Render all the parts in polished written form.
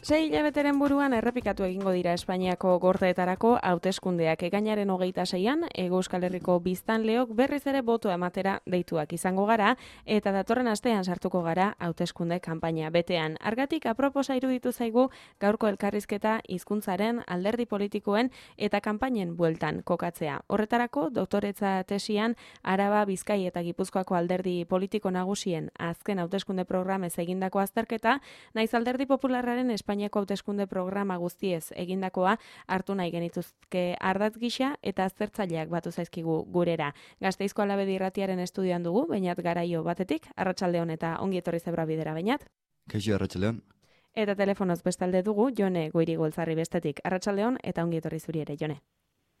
6 hilabeteren buruan errepikatu egingo dira Espainiako gorteetarako hauteskundeak. Ekainaren 26an, Hego Euskal Herriko biztanleok berriz ere botoa ematera deituak izango gara, eta datorren astean sartuko gara hauteskunde kanpaina betean. Argatik aproposa iruditu zaigu gaurko elkarrizketa hizkuntzaren, alderdi politikoen eta kanpainen bueltan kokatzea. Horretarako, doktoretza tesian Araba, Bizkai eta Gipuzkoako alderdi politiko nagusien azken hauteskunde programez egindako azterketa, naiz alderdi popularraren Espainiako hauteskunde programa guztiez egindakoa hartu nahi genituzke ardatz gisa eta aztertzaileak batu zaizkigu gurera. Gasteizko Alabedi Irratiaren estudioan dugu, Beñat Garaio batetik, arratsaldeon eta ongi etorri Zebra Bidera, Beñat. Kaixo, arratsaldeon. Eta telefonoz bestalde dugu, Jone Goirigoltzarri bestetik, arratsaldeon eta ongi etorri zuri ere, Jone.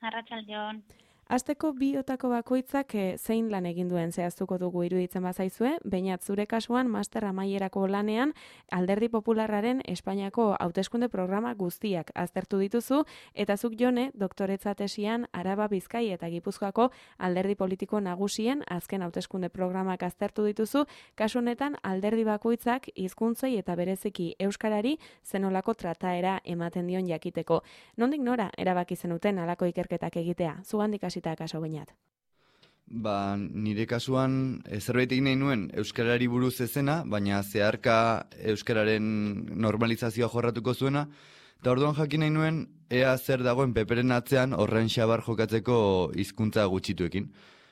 Arratsaldeon. Asteko biotako bakoitzak zein lan egin duen zehaztuko dugu iruditzen bazaizue, Beñat zure kasuan master amaierako lanean Alderdi Popularraren Espainiako hauteskunde programa guztiak aztertu dituzu, eta zuk Jone doktoretza tesian Araba, Bizkai eta Gipuzkoako alderdi politiko nagusien azken hauteskunde programak aztertu dituzu, kasu honetan alderdi bakoitzak hizkuntzei eta bereziki euskarari zenolako trataera ematen dion jakiteko. Nondik nora erabaki zenuten halako ikerketak egitea? Zugandik hasita kaso Beñat. Nire kasuan zerbait egin nahi nuen euskarari buruz ezena, baina zeharka euskararen normalizazioa jorratuko zuena, eta orduan jakin nahi nuen ea zer dagoen peperen atzean horren xabar jokatzeko hizkuntza gutxituekin.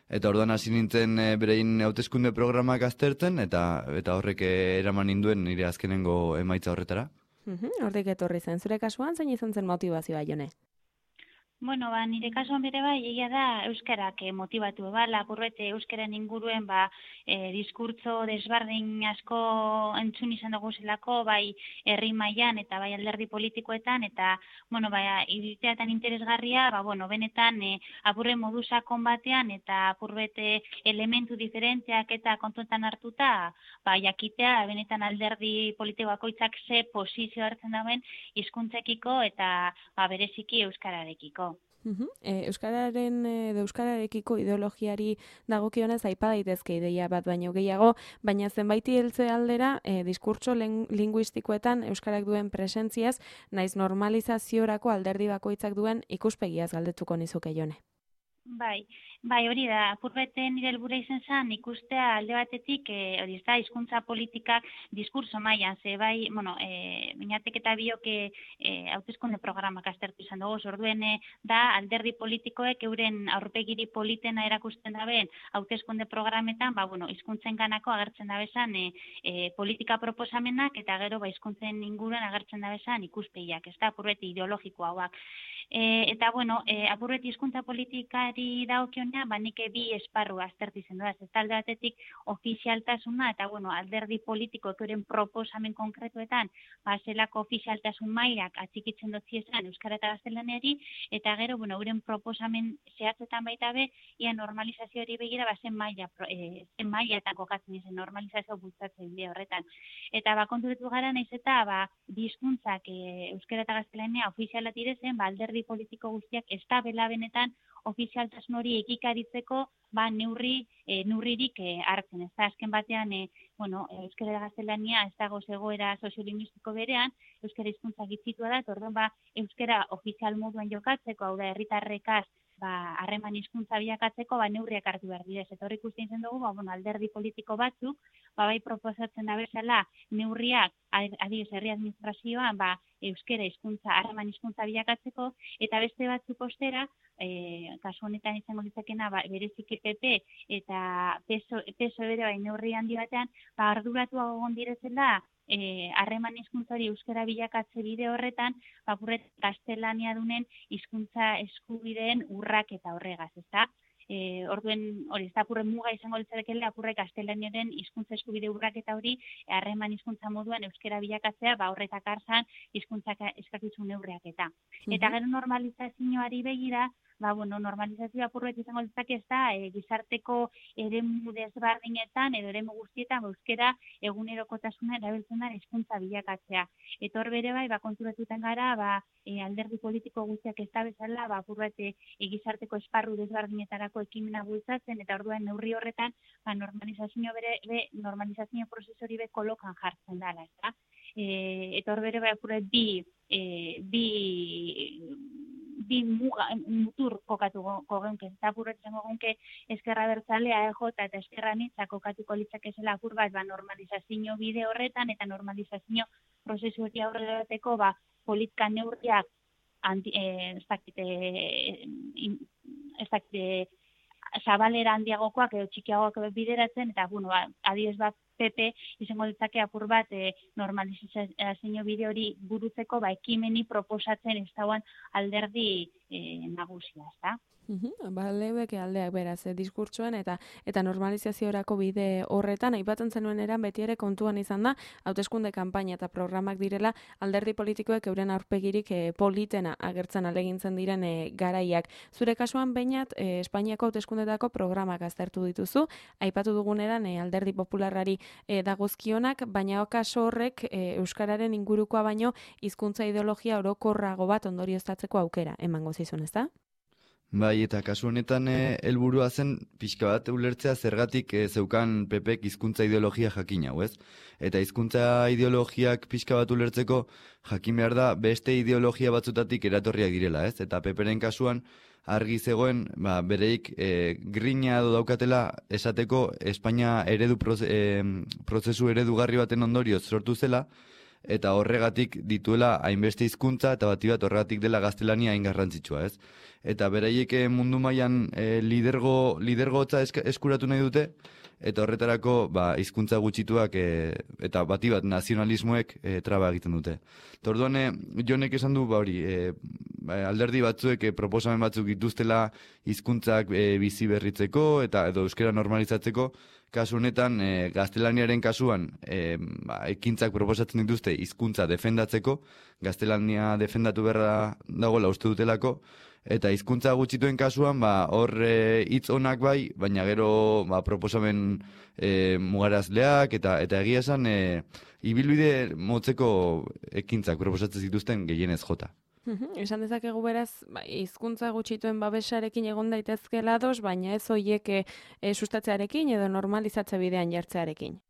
Eta orduan hasi nintzen berein hauteskunde programak aztertzen, eta horrek eraman ninduen nire azkenengo emaitza horretara. Hortik etorri zen. Zure kasuan zein izan zen motivazioa, Jone? Bueno, nire kasuan bere egia da euskarak motibatu laburbete euskaren inguruen diskurtso desberdin asko entzun izan dugu zelako, bai herri mailan eta bai alderdi politikoetan, eta iriteatan interesgarria, benetan apurre modu sakon batean eta apurbete elementu diferenteak eta kontuetan hartuta, jakitea benetan alderdi politiko bakoitzak ze posizio hartzen dauen hizkuntzekiko eta bereziki euskararekiko. Euskararekiko ideologiari dagokionez aipa daitezke ideia bat baino gehiago, baina zenbaiti heltze aldera diskurtso linguistikoetan euskarak duen presentziaz, naiz normalizaziorako alderdi bakoitzak duen ikuspegiaz galdetuko nizuke, Jone. Bai, hori da, apurbete nire helburua izan zen ikustea alde batetik, hori ez da, hizkuntza politikak diskurso mailan, Beñatek eta biok hauteskunde programak aztertu izan dugu, orduen da alderdi politikoek euren aurpegiri politena erakusten daben hauteskunde programetan, hizkuntzen ganako agertzen dabezan politika proposamenak eta gero hizkuntzen inguruan agertzen dabezan ikuspegiak, ez da, apurbete ideologiko hauak. Apurreti hizkuntza politikari dagokionean, nik bi esparru aztertu izan dut, ez talde batetik ofizialtasuna eta alderdi politikoek euren proposamen konkretuetan zelako ofizialtasun mailak atxikitzen dut ziezan euskara eta gaztelaniari, eta gero euren proposamen zehatzetan baita be, ia normalizazioari begira zen maila eta kokatzen izan normalizazio bultzatzen bide horretan. Eta konturetu gara naiz eta bi hizkuntzak euskara eta gaztelania ofizialat direzen, alderdi politiko guztiak ez da bela benetan ofizialtasun hori ekikaritzeko neurririk hartzen. Ez da, azken batean, euskara eta gaztelania ez dago zegoera soziolinguistiko berean, euskara hizkuntza gitzitua da, eta orduan euskara ofizial moduan jokatzeko, hau da, herritarrekaz harreman hizkuntza bilakatzeko neurriak hartu behar dira. Eta hori ikusten zen dugu, alderdi politiko batzuk, bai proposatzen da bezala neurriak, adibidez herri administrazioan, euskara hizkuntza, harreman hizkuntza bilakatzeko, eta beste batzuk ostera, kasu honetan izango ditzakena, bereziki PP eta PSOE bere neurri handi batean, arduratu egon direzela, harreman hizkuntza hori euskara bilakatze bide horretan, gaztelania dunen hizkuntza eskubideen urrak eta horregaz, ezta? Orduen hori ez da apurre muga izango litzatekela apurre gaztelaniaren hizkuntza eskubide urraketa hori harreman hizkuntza moduan euskara bilakatzea horretak hartzan hizkuntzak eskakizun neurriak eta. Eta gero normalizazioari begira, normalizazioa apurret izango litzake ez da gizarteko eremu desberdinetan edo eremu guztietan euskara egunerokotasuna erabiltzen da hizkuntza bilakatzea. Eta hor bere konturatuten gara alderdi politiko guztiak ez da bezala apurret gizarteko esparru desberdinetarako ekimena bultzatzen, eta orduan neurri horretan normalizazio prozesori be kolokan jartzen dela, ezta? eta hor bere bai apuret bi mutur kokatuko geunke, eta apuretzen geunke ezkerra bertzalea EJ eta ezkerra nitza kokatuko litzakezela apur bat normalizazio bide horretan eta normalizazio prozesu hori aurrera bateko politika neurriak zabalera handiagokoak edo txikiagoak bideratzen, eta, adibidez bat PP izango ditzake apur bat normalizazio bide hori burutzeko ekimeni proposatzen ez dauan alderdi nagusia, ezta? Lebeke aldeak beraz, diskurtsoan eta normalizaziorako bide horretan, aipatzen zenuen eran beti ere kontuan izan da, hauteskunde kanpaina eta programak direla alderdi politikoek euren aurpegirik politena agertzen alegintzen diren garaiak. Zure kasuan beinat, Espainiako hauteskundetako programak aztertu dituzu, aipatu duguneran alderdi popularrari dagozkionak, baina kaso horrek euskararen ingurukoa baino hizkuntza ideologia orokorrago bat ondorioztatzeko aukera emango zizun, ezta? Bai, eta kasu honetan helburua zen pixka bat ulertzea zergatik zeukan PPek hizkuntza ideologia jakin hau, ez? Eta hizkuntza ideologiak pixka bat ulertzeko jakin behar da beste ideologia batzutatik eratorriak direla, ez? Eta PPren kasuan argi zegoen, bereik grina daukatela esateko Espainia prozesu eredugarri baten ondorioz sortu zela, eta horregatik dituela hainbeste hizkuntza eta bati bat horregatik dela gaztelania hain garrantzitsua, ez? Eta beraiek mundu mailan lidergotza eskuratu nahi dute, eta horretarako hizkuntza gutxituak eta bati bat nazionalismoek traba egiten dute. Orduan Jonek esan du alderdi batzuek proposamen batzuk dituztela hizkuntzak bizi berritzeko eta edo euskera normalizatzeko. Kasu honetan gaztelaniaren kasuan ekintzak proposatzen dituzte hizkuntza defendatzeko, gaztelania defendatu beharra dagoela uste dutelako, eta hizkuntza gutxituen kasuan hor hitz onak bai, baina gero proposamen mugarazleak eta egia esan ibilbide motzeko ekintzak proposatzen zituzten gehienez jota. Esan dezakegu beraz, hizkuntza gutxituen babesarekin egon daitezkeela ados, baina ez horiek sustatzearekin edo normalizatze bidean jartzearekin.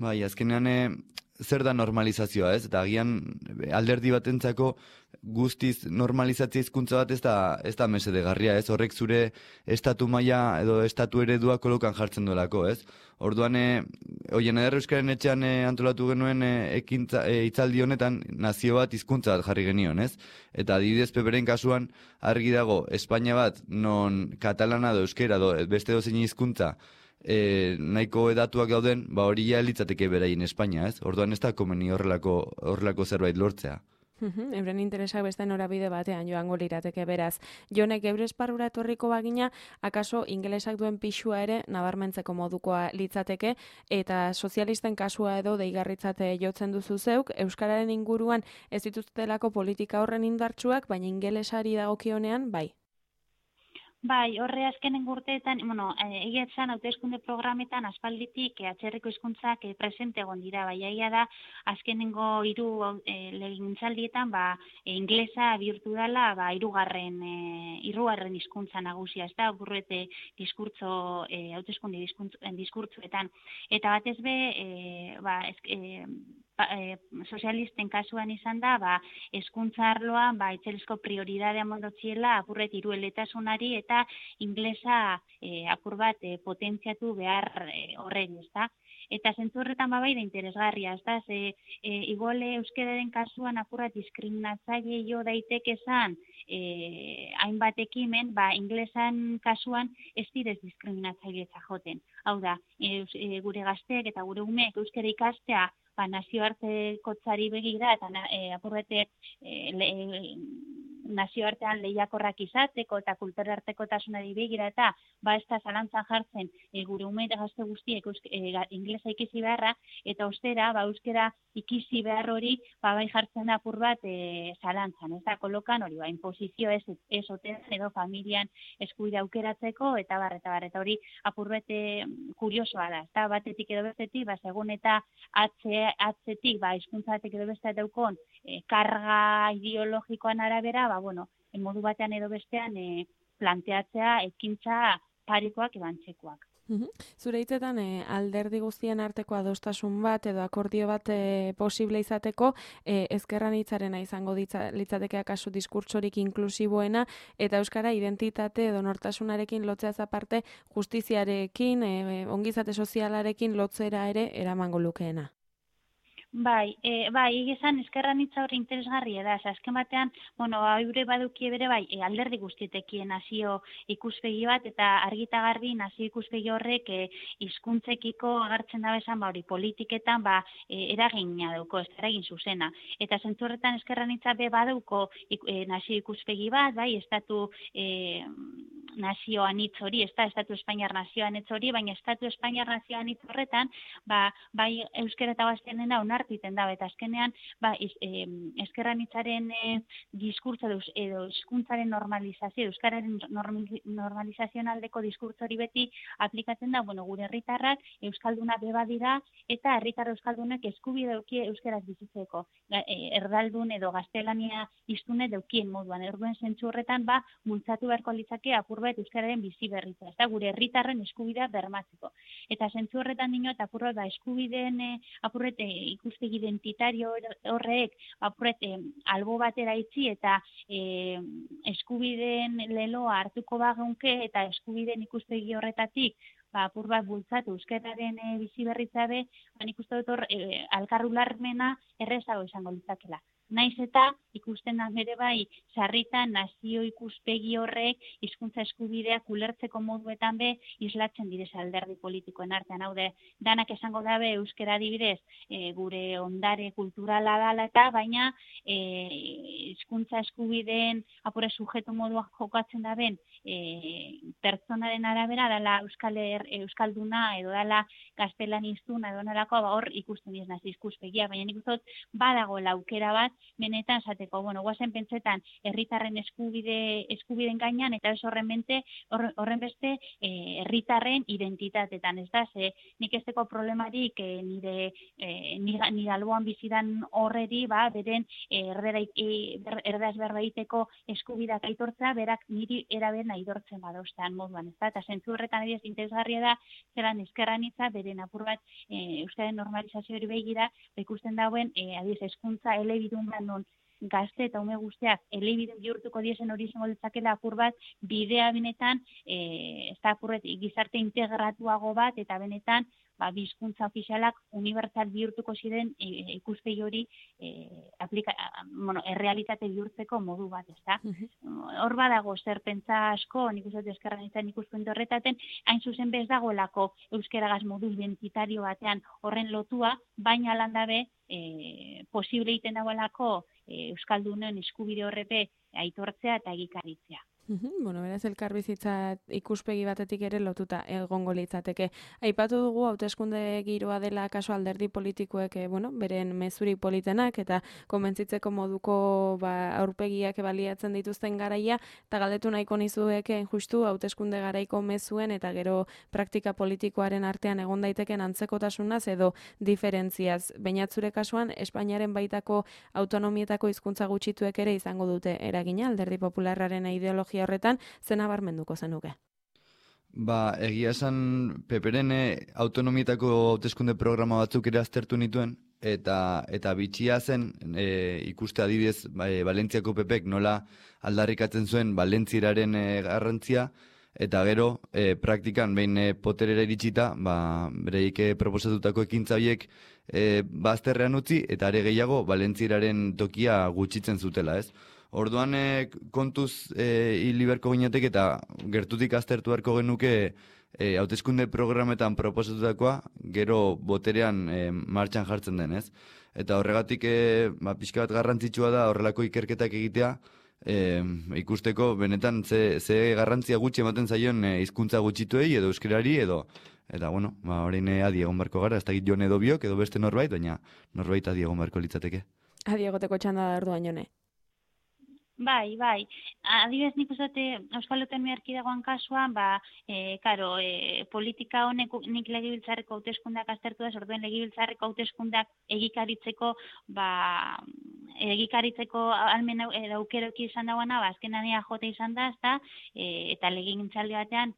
Bai, azkenean zer da normalizazioa, ez? Eta agian alderdi batentzako guztiz normalizatzea hizkuntza bat ez da mesedegarria, ez? Horrek zure estatu maila edo estatu eredua kolokan jartzen duelako, ez? Orduan, Oien Eder Euskaren etxean antolatu genuen hitzaldi honetan nazio bat hizkuntza bat jarri genion, ez? Eta adibidez PPren kasuan argi dago Espainia bat non katalana edo euskera edo beste dozein hizkuntza nahiko edatuak dauden, hori ja litzateke beraien Espainia, ez? Orduan ez da komeni horrelako zerbait lortzea. Euren interesak beste norabide batean joango lirateke beraz. Jonek geure esparrura etorriko bagina, akaso ingelesak duen pixua ere nabarmentzeko modukoa litzateke, eta sozialisten kasua edo deigarritzate jotzen duzu zeuk, euskararen inguruan ez dituztelako politika horren indartsuak, baina ingelesari dagokionean bai. Bai, horre azkenen urteetan, egia esan hauteskunde programetan aspalditik atzerriko hizkuntzak presente egon dira, bai, egia da azkenengo 3 legegintzaldietan inglesa bihurtu dela hirugarren hizkuntza nagusia, ez da, burrete hauteskunde diskurtzuetan. Eta batez sozialisten kasuan izan da, hezkuntza arloan itzelezko prioridadea mondotziela apurret hirueletasunari eta inglesa apur bat potentziatu behar horren, ezta? Eta zentzu horretan bai da interesgarria, ezta? Igual euskararen kasuan apurrat diskriminatzaile jo daiteke esan hainbat ekimen, inglesan kasuan ez direz diskriminatzailetza joten. Hau da, gure gazteek eta gure umeek euskara ikastea nazioartekotzari begira eta apurrete nazioartean lehiakorrak izateko eta kulturartekotasunari begira eta ez da zalantzan jartzen gure ume eta gazte guztiek inglesa ikisi beharra eta ostera euskara ikisi behar hori bai jartzen da apur bat zalantzan, ez da kolokan hori inposizio ez oten edo familian eskubide aukeratzeko eta hori apur bat kuriosoa da, ez da batetik edo bestetik segun eta atzetik hizkuntzatik edo beste daukon karga ideologikoan arabera modu batean edo bestean planteatzea ekintza parekoak ebantzekoak. Zure hitzetan alderdi guztien arteko adostasun bat edo akordio bat posible izateko ezker anitzarena izango litzateke akaso diskurtsorik inklusiboena eta euskara identitate edo nortasunarekin lotzeaz aparte justiziarekin, ongizate sozialarekin lotzera ere eramango lukeena. Bai, egizan eskerran hitza hori interesgarria da, azken batean, eure badukie bere bai, alderdi guztietekien nazio ikuspegi bat, eta argita garbi nazio ikuspegi horrek hizkuntzekiko agertzen da bezan, hori politiketan, eragina dauko, ez eragin zuzena. Eta zentzu horretan eskerran hitza be baduko nazio ikuspegi bat, bai, estatu nazio anitz hori, estatu espainiar nazio anitz hori, baina estatu espainiar nazio anitz horretan, bai euskera eta gaztelera onartiten da, eta azkenean, eskerran hitzaren diskurtso edo hizkuntzaren normalizazio, euskararen normalizazioan aldeko diskurtso hori beti aplikatzen da, gure herritarrak euskalduna beba dira, eta herritar euskaldunek eskubide daukie euskaraz bizitzeko, erdaldun edo gaztelania hiztune daukien moduan, orduen zentzu horretan, bultzatu beharko litzake apurbet euskararen bizi berritza, eta gure herritarren eskubidea bermatzeko. Eta zentzu horretan dino, eta apurbet eskubideen apurret ikuspegi identitario horrek apurret albo batera itzi eta eskubideen leloa hartuko bageunke eta eskubideen ikuspegi horretatik apur bat bultzatu euskararen bizi berritzabe, nik uste dut hor alkarrularmena errezago izango litzakela. Naiz eta ikusten da bere bai sarritan nazio ikuspegi horrek hizkuntza eskubideak ulertzeko moduetan be islatzen direz alderdi politikoen artean. Haude, danak esango dabe euskera adibidez gure ondare kulturala dala eta baina hizkuntza eskubideen apure sujetu moduak jokatzen daben pertsonaren arabera dala euskalduna edo dala gaztelaniztuna edo nolako hor ikusten diez nazio ikuspegia, baina nik uste dut badago aukera bat benetan esateko, guazen pentsetan herritarren eskubideen gainan eta ez horren beste herritarren identitatetan, ez da, nik esteko problemarik nire alboan bizidan horreri, beren erdaz berbaiteko eskubidak aitortza, berak niri eraben aitortzen badauztean moduan, ez da, eta zentzu horretan adiez interesgarria da, zelan eskerran hitza, beren apur bat euskaren normalizazio hori begira, ikusten dauen, adiez, eskuntza elebidun non gazte eta ume guztiak elebidun bihurtuko diezen hori izango ditzakela apur bat bidea benetan, ez da apurret gizarte integratuago bat eta benetan bizkuntza ofizialak unibertsal bihurtuko ziren ikuspegi hori errealitate bihurtzeko modu bat, ez da? Hor badago zer pentsa asko, nik uste eskerran izan ikuspuntu horretaten, hain zuzen bez dagoelako euskeragaz modu identitario batean horren lotua, baina landabe posible egiten dagoelako euskaldunen eskubide horrepe aitortzea eta egikaritzea. Beraz elkarbizitza ikuspegi batetik ere lotuta egongo litzateke. Aipatu dugu hauteskunde giroa dela kaso alderdi politikoek, beren mezurik politenak eta konbentzitzeko moduko aurpegiak baliatzen dituzten garaia, eta galdetu nahiko nizueke justu hauteskunde garaiko mezuen eta gero praktika politikoaren artean egon daiteken antzekotasunaz edo diferentziaz. Bainatzure kasuan Espainiaren baitako autonomietako hizkuntza gutxituek ere izango dute eragina alderdi popularraren ideologia horretan, zena barmenduko zenuke? Egia esan Peperen autonomietako hauteskunde programa batzuk ere aztertu nituen, eta bitxia zen ikuste adibidez Valentziako Pepek nola aldarrikatzen zuen Valentzieraren garrantzia, eta gero praktikan behin poterera iritsita, bereik proposatutako ekintza horiek bazterrean utzi, eta are gehiago Valentzieraren tokia gutxitzen zutela, ez? Orduan kontuz hili beharko ginetek eta gertutik aztertu beharko genuke hauteskunde programetan proposatutakoa gero boterean martxan jartzen den, ez? Eta horregatik pixka bat garrantzitsua da horrelako ikerketak egitea, ikusteko benetan ze garrantzia gutxi ematen zaion hizkuntza gutxituei edo euskerari eta horrein adi egon barko gara, ez da Jon edo biok edo beste norbait, baina norbait adi egon barko litzateke. Adi egoteko txanda da orduan, Jone. Bai. Adibidez nik uste Euskal Autonomia Erkidegoan kasuan, politika honek nik legebiltzarreko hauteskundeak aztertu da, orduen legebiltzarreko hauteskundeak egikaritzeko egikaritzeko almen aukeroki izan dagoena, azkenan EAJ izan da, ezta, eta legegintzaldi batean,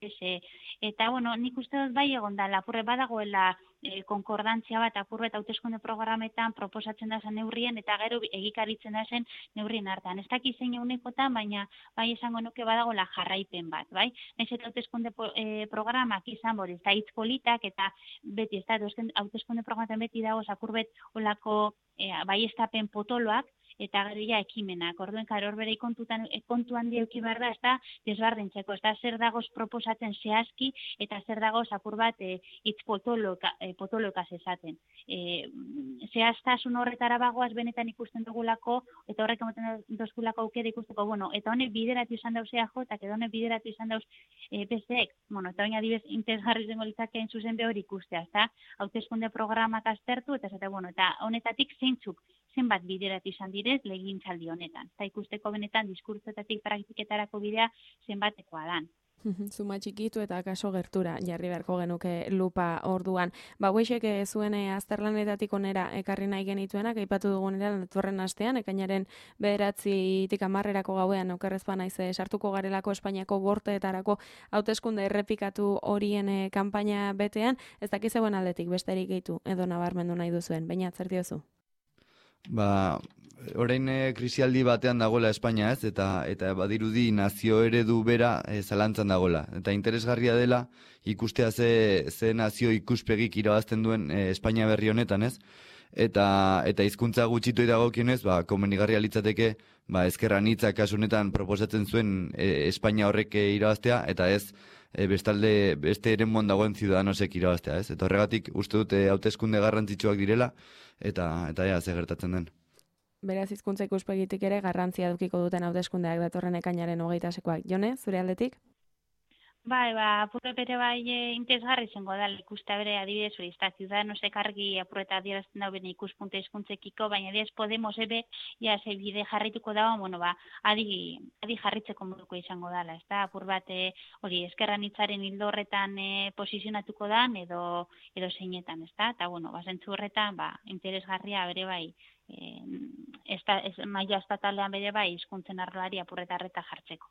eta, bueno, nik uste dut bai egon da, lapurre badagoela konkordantzia bat, apurbet hauteskunde programetan proposatzen da zen neurrien, eta gero egikaritzen da zen neurrien hartan. Ez dakiz zein eunekotan, baina bai esango nuke badagoela jarraipen bat, bai? Naiz eta hauteskunde programak izan bori, ez da hitz politak, eta beti, ez da, hauteskunde programaten beti dago, apurbet olako bai estapen potoloak, eta gero ja ekimenak. Orduen, hor bere kontu handi euki behar da, ez da, desbardintzeko, ez da, zer dagoz proposatzen zehazki, eta zer dagoz apur bat hitz potolokaz esaten. Zehaztasun horretara bagoaz benetan ikusten dugulako, eta horrek ematen dozkulako aukera ikusteko, bueno, eta honek bideratu izan dauz EAJ, eta honek bideratu izan dauz PSek, bueno, eta baina adibez interesgarri zengo litzakeen zuzen behor ikustea, ez da, hauteskunde programak aztertu, eta bueno, eta honetatik zeintzuk, zenbat bideratu izan direz legegintzaldi honetan. Eta ikusteko benetan diskurtsoetatik praktiketarako bidea zenbatekoa dan. Zuma txikitu eta kaso gertura jarri beharko genuke lupa orduan. Gueixek zuen azterlanetatik onera ekarri nahi genituenak, aipatu dugunera datorren astean, ekainaren 9-tik 10 gauean okerrezpa naiz sartuko garelako Espainiako gorteetarako hauteskunde errepikatu horien kanpaina betean, ez dakiz zegoen aldetik besterik gehitu edo nabarmendu nahi duzuen, baina zer diozu? Orain krisialdi batean dagoela Espainia, ez, eta badirudi nazio eredu bera zalantzan dagoela. Eta interesgarria dela ikustea ze nazio ikuspegik irabazten duen Espainia berri honetan, ez? Eta hizkuntza gutxitu dagokionez, komenigarria litzateke, ezker anitza kasu honetan proposatzen zuen Espainia horrek irabaztea, eta ez bestalde beste eremuan dagoen ziudadanosek irabaztea, ez? Eta horregatik uste dute hauteskunde garrantzitsuak direla, eta ze gertatzen den. Beraz, hizkuntza ikuspegitik ere garrantzia edukiko duten hauteskundeak datorren ekainaren 28koak. Jone, zure aldetik? Apurre bere interesgarri zengo da, ikustea bere adibidez hori, ez da, Ciudadanosek argi apurreta adierazten dau bene ikuspunte hizkuntzekiko, baina adibidez Podemos ebe, ze bide jarrituko dago, adi jarritzeko moduko izango dela, ez da, apur bat hori, eskerran hitzaren hildo horretan posizionatuko dan, edo zeinetan, ez da, eta, zentzu horretan, interesgarria bere maila estatalean bere hizkuntzen arloari apurretarreta jartzeko.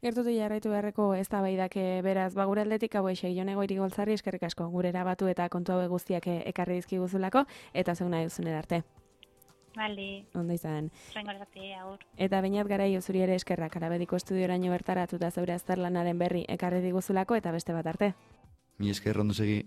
Gertutik jarraitu beharreko eztabaidak beraz, gure aldetik hauexek Jone Goirigoltzarri eskerrik asko gurera batu eta kontu hauek guztiak ekarri dizkiguzulako eta zeuna duzunera arte. Bale. Ondo izan. Rengorzate, agur. Eta Beñat Garai zuri ere eskerrak Arabediko estudioraino bertaratuta zeure azterlanaren berri ekarri diguzulako eta beste bat arte. Mi esker ondo segi.